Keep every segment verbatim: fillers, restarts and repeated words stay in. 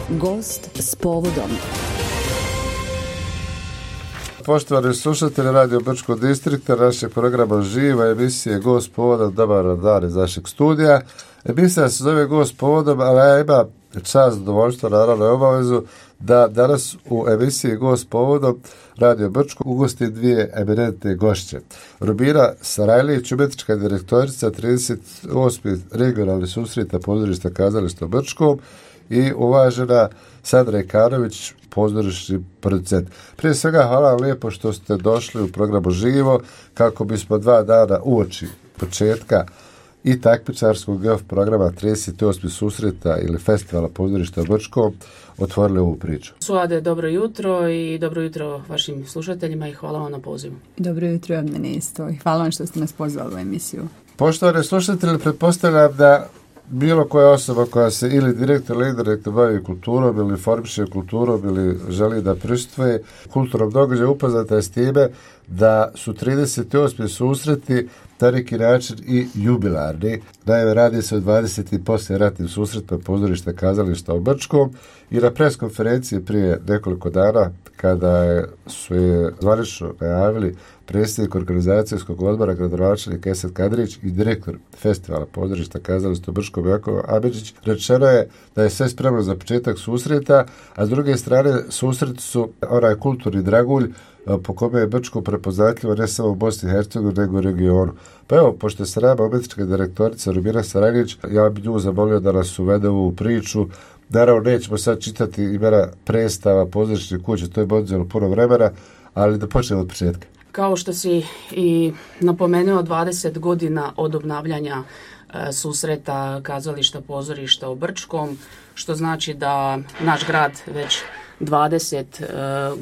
Gost s povodom. Poštovani slušatelji Radio Brčkog distrikta, našeg programa Živa, emisije Gost povodom, dobar dan iz našeg studija. Emisija se zove Gost povodom, ali ja ima čast, zadovoljstvo, naravno i obavezu da danas u emisiji Gost povodom Radio Brčkog ugosti dvije eminentne gošće. Rubina Sarajlić, umjetnička direktorica trideset osmih regionalnih susreta pozorišta kazališta u Brčkom, i uvažena Sandra Ikanović, pozorišni producent. Prije svega hvala vam lijepo što ste došli u programu Živo kako bismo dva dana uoči početka i takmičarskog golf programa trideset osmih susreta ili festivala pozorišta u Brčkom otvorili ovu priču. Suade, dobro jutro i dobro jutro vašim slušateljima i hvala vam na pozivu. Dobro jutro, Abnene, isto i hvala vam što ste nas pozvali u emisiju. Poštovani slušatelji, pretpostavljam da bilo koja osoba koja se ili direktno ili indirektno bavi kulturom ili informiše kulturom ili želi da prisustvuje kulturnom događaju upoznata je s time da su trideset osmi susreti na neki način i jubilarni. Naime, radi se o dvadesetim poslijeratnim susretima pozorišta kazališta u Brčkom i na pres konferenciji prije nekoliko dana kada je, su je zvanično najavili predsjednik organizacijskog odbora gradonačelnik Esad Kadrić i direktor festivala pozorišta kazališta u Brčkom Jakov Amidžić, rečeno je da je sve spremno za početak susreta, a s druge strane susreti su onaj kulturni dragulj po kome je Brčko prepoznatljivo ne samo u Bosni i Hercegovini nego u regionu. Pa evo, pošto je sa nama umjetnička direktorica Rubina Sarajlić, ja bih nju zamolio da nas uvede u priču. Naravno, nećemo sad čitati imena predstava, pozorišnih kuća, to je oduzelo puno vremena, ali da počnemo od početka. Kao što si i napomenuo, dvadeset godina od obnavljanja e, susreta kazališta pozorišta u Brčkom, što znači da naš grad već dvadeset e,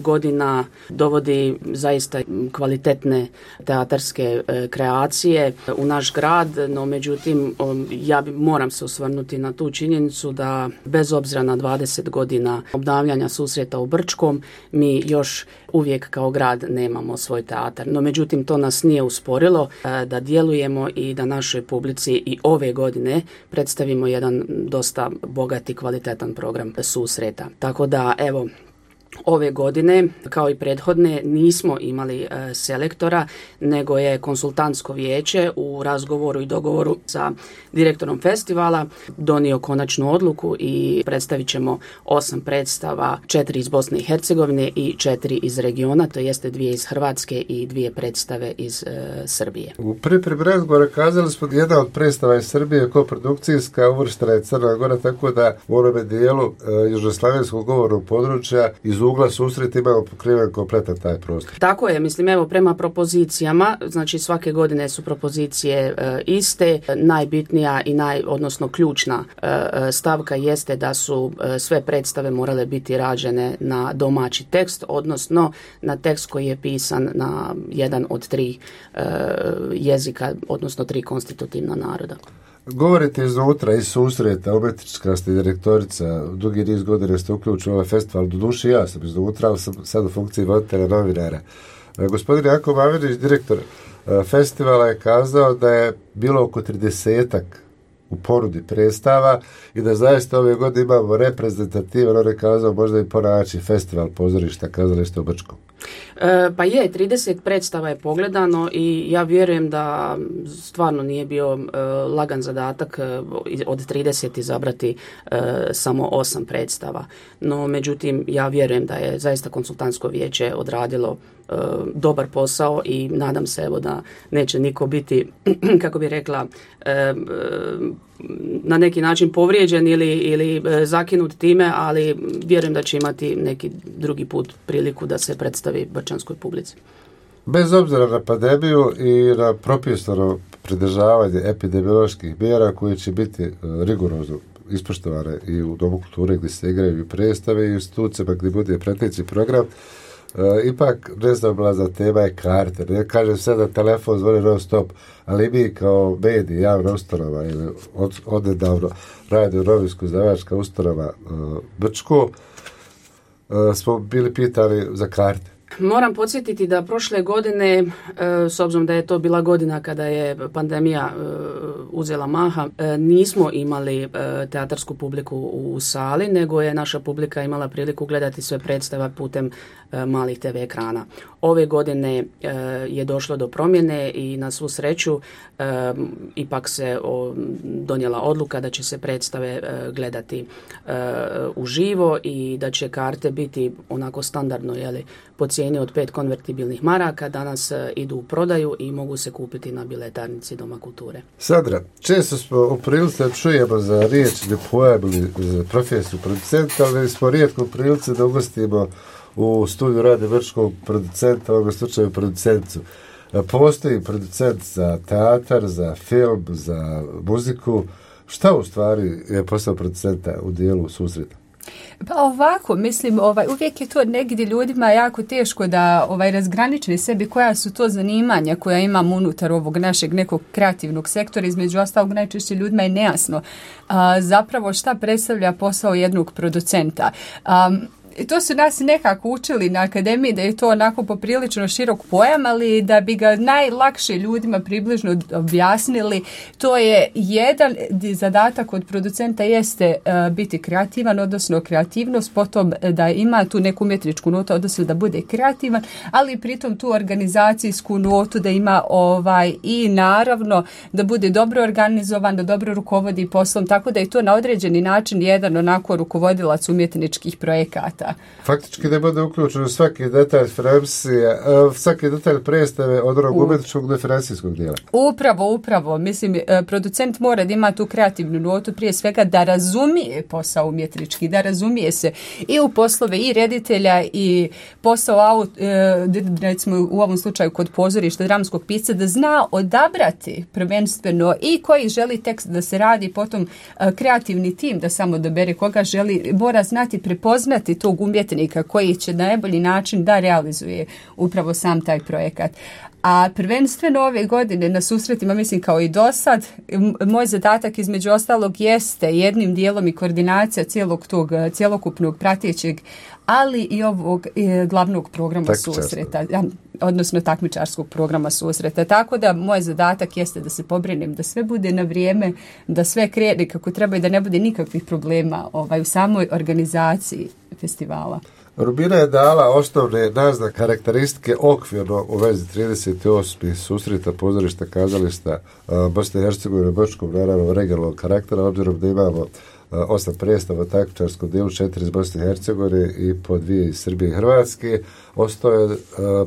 godina dovodi zaista kvalitetne teatarske e, kreacije u naš grad, no međutim um, ja bi, moram se osvrnuti na tu činjenicu da bez obzira na dvadeset godina obnavljanja susreta u Brčkom, mi još uvijek kao grad nemamo svoj teatar. No međutim to nas nije usporilo e, da djelujemo i da našoj publici i ove godine predstavimo jedan dosta bogat i kvalitetan program susreta. Tako da evo, ove godine, kao i prethodne, nismo imali e, selektora, nego je konsultantsko vijeće u razgovoru i dogovoru sa direktorom festivala donio konačnu odluku i predstavit ćemo osam predstava, četiri iz Bosne i Hercegovine i četiri iz regiona, to jeste dvije iz Hrvatske i dvije predstave iz e, Srbije. U pripremi razgovora kazali smo jedna od predstava iz Srbije, koprodukcijska, uvrštena je Crna Gora, tako da u onome dijelu e, južnoslavenskog govornog područja iz ugla susret imamo pokriven kompletan taj prostor. Tako je, mislim, evo, prema propozicijama, znači svake godine su propozicije e, iste, najbitnija i naj, odnosno ključna e, stavka jeste da su e, sve predstave morale biti rađene na domaći tekst, odnosno na tekst koji je pisan na jedan od tri e, jezika, odnosno tri konstitutivna naroda. Govorite iznutra, iz susreta, umjetnička ste direktorica, dugi niz godina ste uključili ovaj festival, do duše ja sam iznutra, ali sam sad u funkciji voditelja novinara. Gospodin Jakov Amidžić, direktor festivala, je kazao da je bilo oko tridesetak u ponudi predstava i da zaista ove godine imamo reprezentativan, on je kazao možda i ponaći festival pozorišta kazališta u Brčkom. E, pa je, trideset predstava je pogledano i ja vjerujem da stvarno nije bio e, lagan zadatak e, od trideset izabrati e, samo osam predstava. No, međutim, ja vjerujem da je zaista konsultantsko vijeće odradilo e, dobar posao i nadam se evo da neće niko biti, kako bi rekla, e, e, na neki način povrijeđen ili, ili e, zakinut time, ali vjerujem da će imati neki drugi put priliku da se predstavi brčanskoj publici. Bez obzira na pandemiju i na propisano pridržavanje epidemioloških mjera koje će biti rigorozno ispoštovane i u Domu kulture gdje se igraju i predstave i u institucijama gdje bude preteći program, E, ipak nezaobilazna tema je karte. Ne kažem sad da telefon zvoni non stop, ali mi kao mediji, javna ustanova ili od, odnedavno radio novinsko izdavačka ustanova e, Brčko, e, smo bili pitali za karte. Moram podsjetiti da prošle godine, s obzirom da je to bila godina kada je pandemija uzela maha, nismo imali teatarsku publiku u sali, nego je naša publika imala priliku gledati sve predstave putem malih te ve ekrana. Ove godine je došlo do promjene i na svu sreću ipak se donijela odluka da će se predstave gledati uživo i da će karte biti onako standardno, jeli, po cijeni od pet konvertibilnih maraka. Danas idu u prodaju i mogu se kupiti na biletarnici Doma kulture. Sandra, često smo u prilici da čujemo za riječ ne pojavili za profesiju producenta, ali smo rijetko u prilici da ugostimo u studiju Rade Brčkog producenta, u ovom slučaju producentu. Postoji producent za teatar, za film, za muziku. Šta u stvari je posao producenta u dijelu susreta? Pa ovako, mislim, ovaj, uvijek je to negdje ljudima jako teško da ovaj, razgraničili sebi koja su to zanimanja koja imamo unutar ovog našeg nekog kreativnog sektora. Između ostalog, najčešće ljudima je nejasno a, zapravo šta predstavlja posao jednog producenta. A, to su nas nekako učili na akademiji da je to onako poprilično širok pojam, ali da bi ga najlakše ljudima približno objasnili, to je jedan zadatak od producenta jeste uh, biti kreativan, odnosno kreativnost, potom da ima tu neku umjetničku notu, odnosno da bude kreativan, ali pritom tu organizacijsku notu da ima ovaj i naravno da bude dobro organizovan, da dobro rukovodi poslom, tako da je to na određeni način jedan onako rukovodilac umjetničkih projekata. Faktički da bude uključeno svaki detalj financije, svaki detalj predstave od onog umjetničkog do financijskog dijela. Upravo, upravo. Mislim, producent mora da ima tu kreativnu notu, prije svega da razumije posao umjetnički, da razumije se i u poslove i reditelja i posao, recimo u ovom slučaju kod pozorišta, dramskog pisca, da zna odabrati prvenstveno i koji želi tekst da se radi, potom kreativni tim da samo dobere koga želi, mora znati prepoznati tog umjetnika koji će na najbolji način da realizuje upravo sam taj projekat. A prvenstveno ove godine na susretima, mislim kao i do sad, moj zadatak između ostalog jeste jednim dijelom i koordinacija cijelog tog, cjelokupnog pratećeg, ali i ovog e, glavnog programa susreta, odnosno takmičarskog programa susreta. Tako da moj zadatak jeste da se pobrinem da sve bude na vrijeme, da sve krene kako treba i da ne bude nikakvih problema ovaj, u samoj organizaciji festivala. Rubina je dala osnovne naznake, karakteristike okvirno u vezi trideset osmih susreta pozorišta kazališta Bosne i Hercegovine u Brčkom, naravno regionalnog karaktera, obzirom da imamo osam predstava u takmičarskom dijelu, četiri iz Bosne i Hercegovine i po dvije iz Srbije i Hrvatske. Ostao je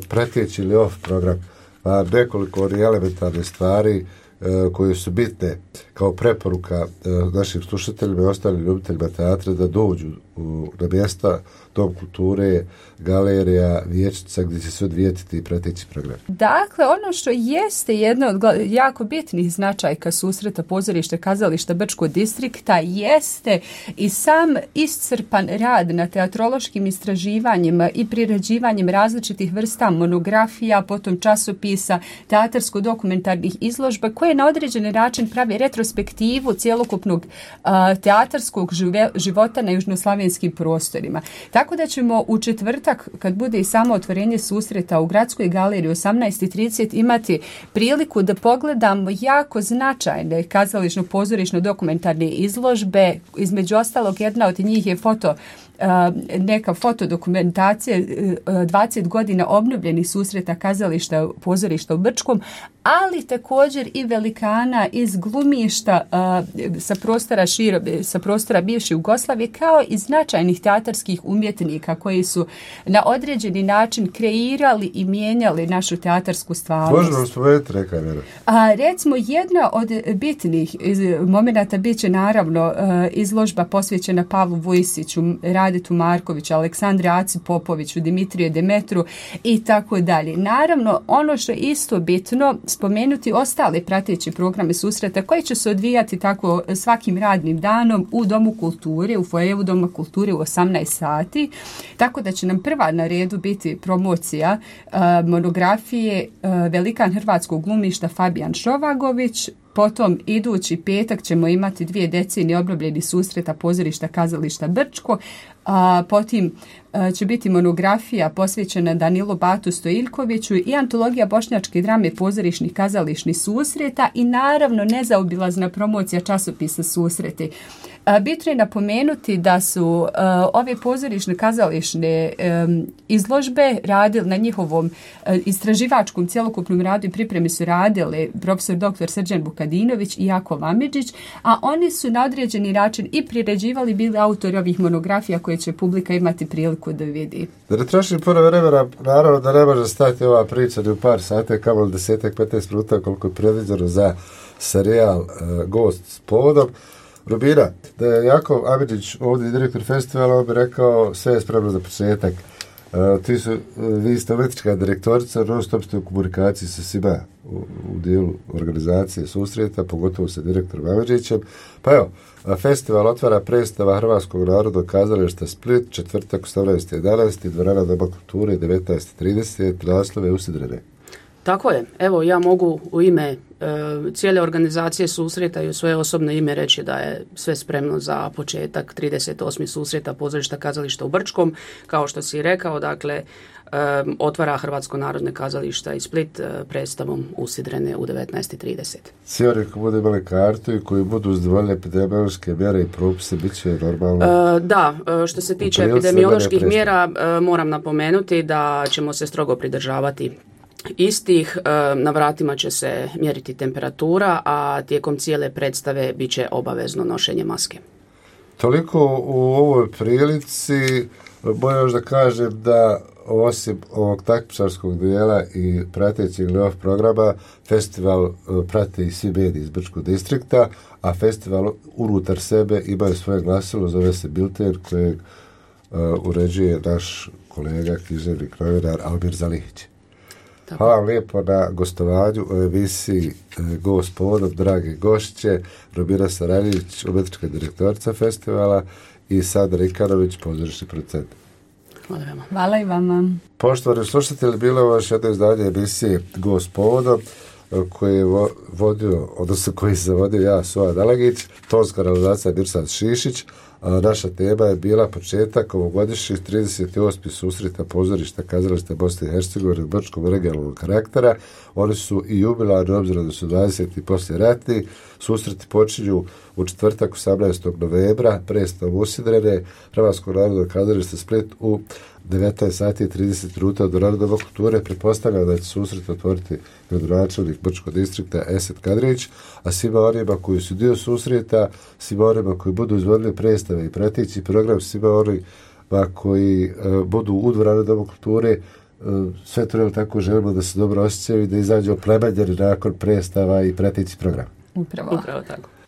prateći ili off program, nekoliko onih elementarnih stvari koje su bitne kao preporuka našim slušateljima i ostalim ljubiteljima teatra da dođu u, na mjesta Dom kulture, galerija, vijećnica gdje će se odvijeti i prateći program. Dakle, ono što jeste jedna od jako bitnih značajka susreta pozorišta kazališta Brčkog distrikta jeste i sam iscrpan rad na teatrološkim istraživanjima i priređivanjem različitih vrsta monografija, potom časopisa, teatarsko-dokumentarnih izložba koje na određeni način pravi retrospektivu cjelokupnog uh, teatarskog žive, života na južnoslavenskim prostorima. Tako da ćemo u četvrtak, kad bude i samo otvorenje susreta u Gradskoj galeriji osamnaest i trideset, imati priliku da pogledamo jako značajne kazališno-pozorišno-dokumentarne izložbe. Između ostalog, jedna od njih je foto neka fotodokumentacija dvadeset godina obnovljenih susreta kazališta pozorišta u Brčkom, ali također i velikana iz glumišta sa prostora širo, sa prostora bivše Jugoslavije, kao i značajnih teatarskih umjetnika koji su na određeni način kreirali i mijenjali našu teatarsku stvarnost. Možemo vam spomenuti neka imena? A, recimo, jedna od bitnih momenata bit će naravno izložba posvećena Pavlu Vujsiću, Radetu Markoviću, Aleksandre Aci Popoviću, Dimitriju Demetru i tako dalje. Naravno, ono što je isto bitno, spomenuti ostale prateće programe susreta koji će se odvijati tako svakim radnim danom u Domu kulture, u fojevu Doma kulture u osamnaest sati. Tako da će nam prva na redu biti promocija uh, monografije uh, velikan hrvatskog glumišta Fabijan Šovagović. Potom idući petak ćemo imati dvije decenije obnovljenih susreta pozorišta kazališta Brčko. A, potim će biti monografija posvećena Danilu Batu Stojiljkoviću i antologija bošnjačke drame pozorišnih kazališnih susreta i naravno nezaobilazna promocija časopisa Susreti. Bitno je napomenuti da su uh, ove pozorišne kazališne um, izložbe radili na njihovom uh, istraživačkom cjelokupnom radu i pripremi su radili profesor doktor Srđan Vukadinović i Jakov Amidžić, a oni su na određeni način i priređivali, bili autori ovih monografija koje će publika imati priliku da vidi. Da ne trošim puno vremena, naravno da ne može stati ova priča ni u par sati, kamo desetak, petnaest minuta koliko je predviđeno za serijal uh, Gost s povodom. Rubina, da je Jakov Amidžić ovdje direktor festivala, on bi rekao sve je spremno za početak. Uh, ti su, uh, vi ste umjetnička direktorica, non stop ste u komunikaciji sa svima u, u dijelu organizacije susreta, pogotovo sa direktorom Amidžićem. Pa evo, festival otvara predstava Hrvatskog narodnog kazališta Split, četvrtak osamnaesti jedanaesti dvorana Doma kulture, devetnaest trideset, naslove usidrene. Tako je. Evo, ja mogu u ime e, cijele organizacije susreta i u svoje osobno ime reći da je sve spremno za početak trideset osmi susreta pozorišta kazališta u Brčkom. Kao što si rekao, dakle, e, otvara Hrvatsko narodne kazališta i Split e, predstavom Usidrene u devetnaest trideset. Svi oni koji budu imali kartu i koji budu uzdovoljili epidemiološke mjere i propise, bit će normalno? E, da, što se tiče epidemioloških mjera, e, moram napomenuti da ćemo se strogo pridržavati istih. Na vratima će se mjeriti temperatura, a tijekom cijele predstave bit će obavezno nošenje maske. Toliko u ovoj prilici. Moram još da kažem da osim ovog takmičarskog dijela i pratećeg live programa, festival prate i svi mediji iz Brčkog distrikta, a festival unutar sebe ima svoje glasilo, zove se Bilten, kojeg uh, uređuje naš kolega, književnik, novinar Almir Zalihić. Tako. Hvala vam lijepo na gostovanju u emisiji Gost s povodom, drage gošće, Rubina Sarajljević, umjetnička direktorica festivala i Sandra Ikanović, pozorišni producent. Hvala vama. Hvala i vama. Poštovani slušatelji, bilo je još jedno izdanje emisije Gost s povodom koji je vodio, odnosno koji se vodio ja, Soja Dalagić, tonska realizacija Mirsad Šišić. A naša tema je bila početak ovogodišnjih trideset osmi susreta pozorišta kazališta Bosne i Hercegovine u Brčkom regionalnog karaktera. Oni su i jubilarni, obzirom da su dvadeseti poslije ratni. Susreti počinju u četvrtak osamnaestog novembra, predstavom Usidrene, Hrvatskog narodnog kazališta Split u devetnaest sati i trideset minuta od dvorane Doma kulture. Pretpostavljam da će susret otvoriti gradonačelnik Brčkog distrikta Esad Kadrić, a svima onima koji su dio susreta, svima onima koji budu izvodili predstave i prateći program, svima onima koji uh, budu u dvorane Doma kulture, uh, sve to tako želimo da se dobro osjećaju i da izađu oplemenjeni nakon predstava i prateći program. Upravo. Upravo tako.